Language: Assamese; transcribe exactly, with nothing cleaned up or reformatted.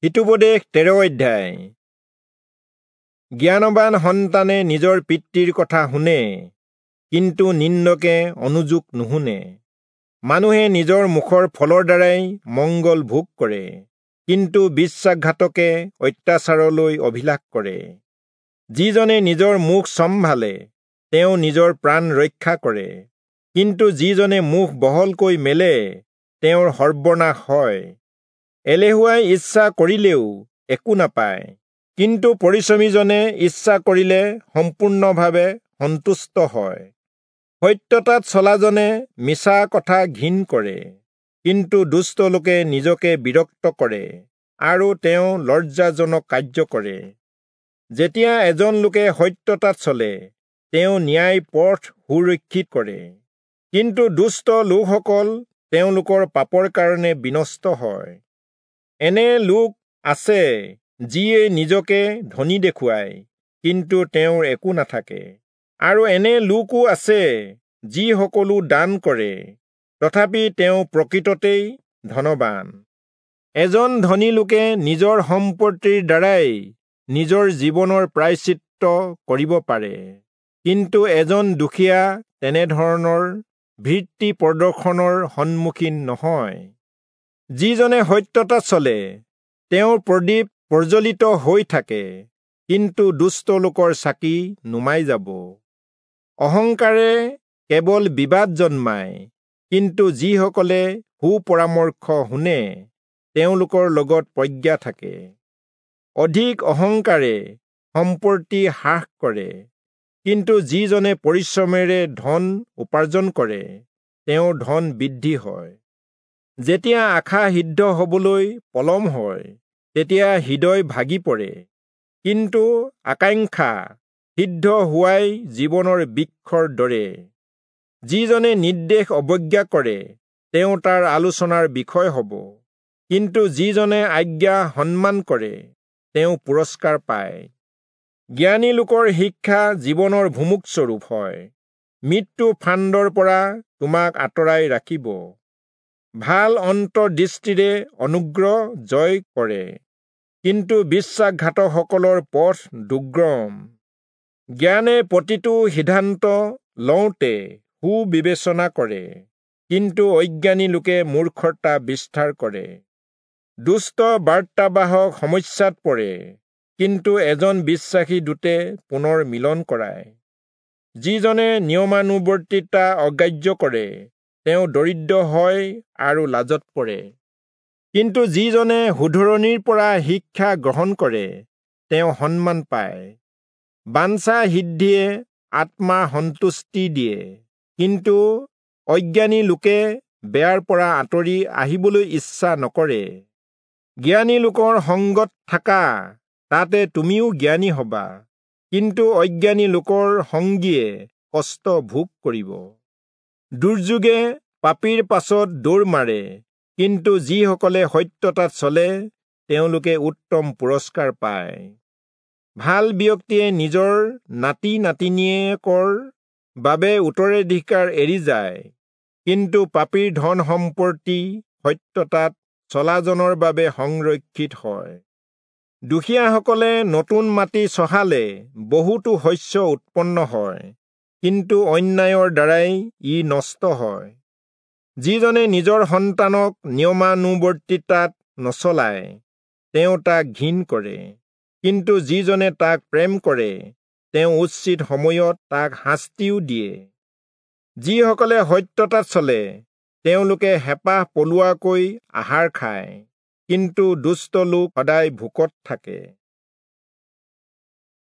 হিতোপদেশ তেৰ অধ্যায়। জ্ঞানবান সন্তানে নিজৰ পিতৃৰ কথা শুনে, কিন্তু নিন্দকে অনুযোগ নুশুনে। মানুহে নিজৰ মুখৰ ফলৰ দ্বাৰাই মংগল ভোগ কৰে, কিন্তু বিশ্বাসঘাতকে অত্যাচাৰলৈ অভিলাষ কৰে। যিজনে নিজৰ মুখ চম্ভালে তেওঁ নিজৰ প্ৰাণ ৰক্ষা কৰে, কিন্তু যিজনে মুখ বহলকৈ মেলে তেওঁৰ সৰ্বনাশ হয়। এলেহুৱাই ইচ্ছা কৰিলেও একো নাপায়, কিন্তু পৰিশ্ৰমীজনে ইচ্ছা কৰিলে সম্পূৰ্ণভাৱে সন্তুষ্ট হয়। সত্যতাত চলাজনে মিছা কথা ঘিণ কৰে, কিন্তু দুষ্ট লোকে নিজকে বিৰক্ত কৰে আৰু তেওঁ লজ্জাজনক কাৰ্য কৰে। যেতিয়া এজন লোকে সত্যতাত চলে, তেওঁ ন্যায় পথ সুৰক্ষিত কৰে, কিন্তু দুষ্ট লোকসকল তেওঁলোকৰ পাপৰ কাৰণে বিনষ্ট হয়। এনে লোক আছে যিয়ে নিজকে ধনী দেখুৱায়, কিন্তু তেওঁৰ একো নাথাকে, আৰু এনে লোকো আছে যি সকলো দান কৰে, তথাপি তেওঁ প্ৰকৃততেই ধনবান। এজন ধনী লোকে নিজৰ সম্পত্তিৰ দ্বাৰাই নিজৰ জীৱনৰ প্ৰায়শ্চিত্ত কৰিব পাৰে, কিন্তু এজন দুখীয়া তেনেধৰণৰ ভীতি প্ৰদৰ্শনৰ সন্মুখীন নহয়। যিজনে সত্যতাত চলে তেওঁৰ প্ৰদীপ প্ৰজ্বলিত হৈ থাকে, কিন্তু দুষ্ট লোকৰ চাকি নুমাই যাব। অহংকাৰে কেৱল বিবাদ জন্মায়, কিন্তু যিসকলে সুপৰামৰ্শ শুনে তেওঁলোকৰ লগত প্ৰজ্ঞা থাকে। অধিক অহংকাৰে সম্পত্তি হ্ৰাস কৰে, কিন্তু যিজনে পৰিশ্ৰমেৰে ধন উপাৰ্জন কৰে তেওঁৰ ধন বৃদ্ধি হয়। যেতিয়া আশা সিদ্ধ হবলৈ পলম হয় তেতিয়া হৃদয় ভাগি পৰে, কিন্তু আকাংক্ষা সিদ্ধ হোৱাই জীৱনৰ বৃক্ষৰ দৰে। যিজনে নিৰ্দেশ অৱজ্ঞা কৰে তেওঁ তাৰ আলোচনাৰ বিষয় হ'ব, কিন্তু যিজনে আজ্ঞা সন্মান কৰে তেওঁ পুৰস্কাৰ পায়। জ্ঞানী লোকৰ শিক্ষা জীৱনৰ ভুমুকস্বৰূপ হয়, মৃত্যু ফান্দৰ পৰা তোমাক আঁতৰাই ৰাখিব। ভাল অন্তৰ্দৃষ্টিৰে অনুগ্ৰহ জয় কৰে, কিন্তু বিশ্বাসঘাতকসকলৰ পথ দুৰ্গম। জ্ঞানে প্ৰতিটো সিদ্ধান্ত লওঁতে সুবিবেচনা কৰে, কিন্তু অজ্ঞানী লোকে মূৰ্খতা বিস্তাৰ কৰে। দুষ্ট বাৰ্তাবাহক সমস্যাত পৰে, কিন্তু এজন বিশ্বাসী দূতে পুনৰ মিলন কৰায়। যিজনে নিয়মানুৱৰ্তিতা অগ্ৰাহ্য কৰে তেওঁ দৰিদ্ৰ হয় আৰু লাজত পৰে, কিন্তু যিজনে শুধৰণিৰ পৰা শিক্ষা গ্ৰহণ কৰে তেওঁ সন্মান পায়। বাঞ্ছা সিদ্ধিয়ে আত্মা সন্তুষ্টি দিয়ে, কিন্তু অজ্ঞানী লোকে বেয়াৰ পৰা আঁতৰি আহিবলৈ ইচ্ছা নকৰে। জ্ঞানী লোকৰ সংগত থাকা, তাতে তুমিও জ্ঞানী হবা, কিন্তু অজ্ঞানী লোকৰ সংগীয়ে কষ্ট ভোগ কৰিব। দুৰ্যোগে পাপীৰ পাছত দৌৰ মাৰে, কিন্তু যিসকলে সত্যতাত চলে তেওঁলোকে উত্তম পুৰস্কাৰ পায়। ভাল ব্যক্তিয়ে নিজৰ নাতি নাতিনীয়েকৰ বাবে উত্তৰাধিকাৰ এৰি যায়, কিন্তু পাপীৰ ধন সম্পত্তি সত্যতাত চলাজনৰ বাবে সংৰক্ষিত হয়। দুখীয়াসকলে নতুন মাটি চহালে বহুতো শস্য উৎপন্ন হয়, কিন্তু অন্যায়ৰ দ্বাৰাই ই নষ্ট হয়। যিজনে নিজৰ সন্তানক নিয়মানুৱৰ্তিতাত নচলায় তেওঁ তাক ঘিণ কৰে, কিন্তু যিজনে তাক প্ৰেম কৰে তেওঁ উচিত সময়ত তাক শাস্তিও দিয়ে। যিসকলে সত্যতাত চলে তেওঁলোকে হেঁপাহ পলোৱাকৈ আহাৰ খায়, কিন্তু দুষ্ট লোক সদায় ভোকত থাকে।